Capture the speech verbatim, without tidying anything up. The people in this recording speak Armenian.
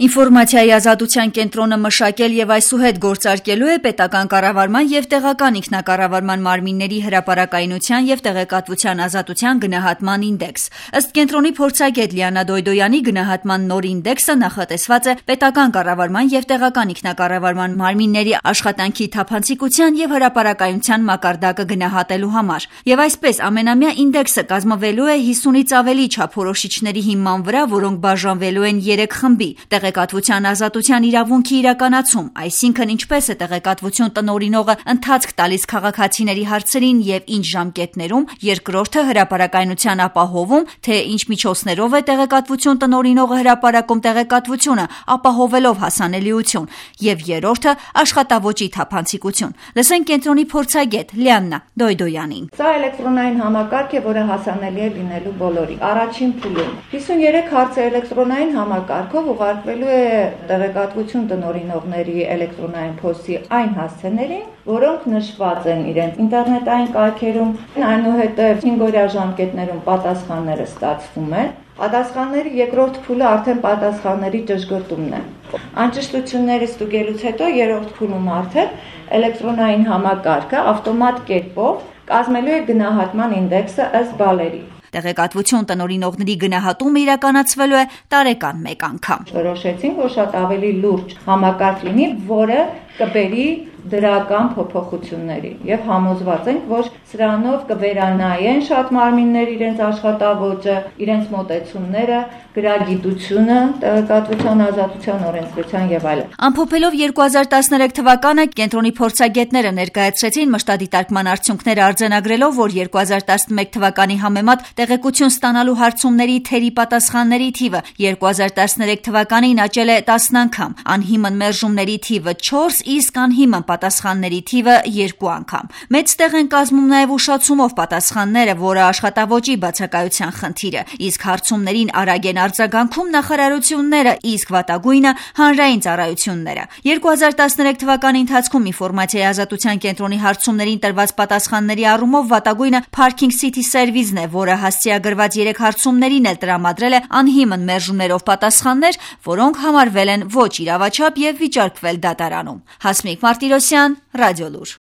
Ինֆորմացիայի ազատության կենտրոնը մշակել եւ այսուհետ գործարկելու է պետական կառավարման եւ տեղական ինքնակառավարման մարմինների հրապարակայնության եւ տեղեկատվության ազատության գնահատման ինդեքս։ Ըստ կենտրոնի փորձագետ Լիանա Դոյդոյանի, գնահատման նոր ինդեքսը նախատեսված է պետական կառավարման եւ տեղական ինքնակառավարման մարմինների աշխատանքի թափանցիկության եւ հրապարակայնության մակարդակը գնահատելու համար։ Եվ այսպես ամենամյա ինդեքսը կազմվելու է հիսունից ավելի չափորոշիչների հիման վրա, որոնք բաժանվելու են երեք խմբի՝ տեղեկատվության ազատության իրավունքի իրականացում, այսինքն ինչպես է տեղեկատվություն տնօրինողը ընթացք տալիս քաղաքացիների հարցերին եւ ինչ ժամկետներում, երկրորդը հրապարակայնության ապահովում, թե ինչ միջոցներով է տեղեկատվություն տնօրինողը հրապարակում տեղեկատվությունը, ապահովելով հասանելիություն, եւ երրորդը աշխատավոճի թափանցիկություն։ Լսենք կենտրոնի փորձագետ Լիանա Դոյդոյանին։ Սա էլեկտրոնային համակարգ է, որը հասանելի է լինելու բոլորի։ Առաջին փուլում հիսունյուրեք հարցը էլեկտրոնային համակարգով ուղարկվելու է տեղեկատվություն տնօրինողների էլեկտրոնային փոստի այն հասցեներին, որոնք նշված են իրենց ինտերնետային կայքերում, այնուհետև հինգօրյա ժամկետներում պատասխանները ստացվում են։ Պատասխանների երկրորդ փուլը արդեն պատասխանների ճշգրտումն է։ Անճշտությունները ստուգելուց հետո երրորդ փուլում արդեն էլեկտրոնային համակարգը ավտոմատ կերպով կազմելու է գնահատման ինդեքսը ըստ բալերի։ Տեղեկատվություն տնօրինողների գնահատումը իրականացվելու է տարեկան մեկ անգամ։ Որոշեցինք, որ շատ ավելի լուրջ համակարգ լինի, որը կբերի դրական փոփոխությունների եւ համոզված ենք, որ սրանով կվերանայեն շատ մարմիններ իրենց աշխատավոճը, իրենց մոտեցումները, գրագիտությունը, տեղեկատվության ազատության օրենսդրության եւ այլն։ Ամփոփելով երկու հազար տասներեք թվականը կենտրոնի փորձագետները ներկայացրեցին մշտադիտարկման արդյունքները արձանագրելով, որ երկու հազար տասնմեկ թվականի համեմատ տեղեկություն ստանալու հարցումների թերի պատասխանների թիվը երկու հազար տասներեք թվականին աճել է տասն անգամ, անհիմն մերժումների թիվը չորս, իսկ անհիմն պատասխանների թիվը երկու անգամ։ Մեծ տեղ են կազմում նաև ուշացումով պատասխանները, որը աշխատավոճի բացակայության խնդիրը, իսկ հարցումներին արագ են արձագանքում նախարարությունները, իսկ վատագույնը հանրային ծառայությունները։ երկու հազար տասներեք թվականի ընթացքում ինֆորմացիայի ազատության կենտրոնի հարցումներին տրված պատասխանների առումով վատագույնը Parking City Service-ն է, որը հասցեագրված երեք հարցումներին էլ տրամադրել է անհիմն մերժումներով պատասխաններ, որոնք համարվել են ոչ իրավաչափ եւ վիճարկվել դատարանում։ Հասմիկ Մարտիրոսյան, Ռադիոլուր։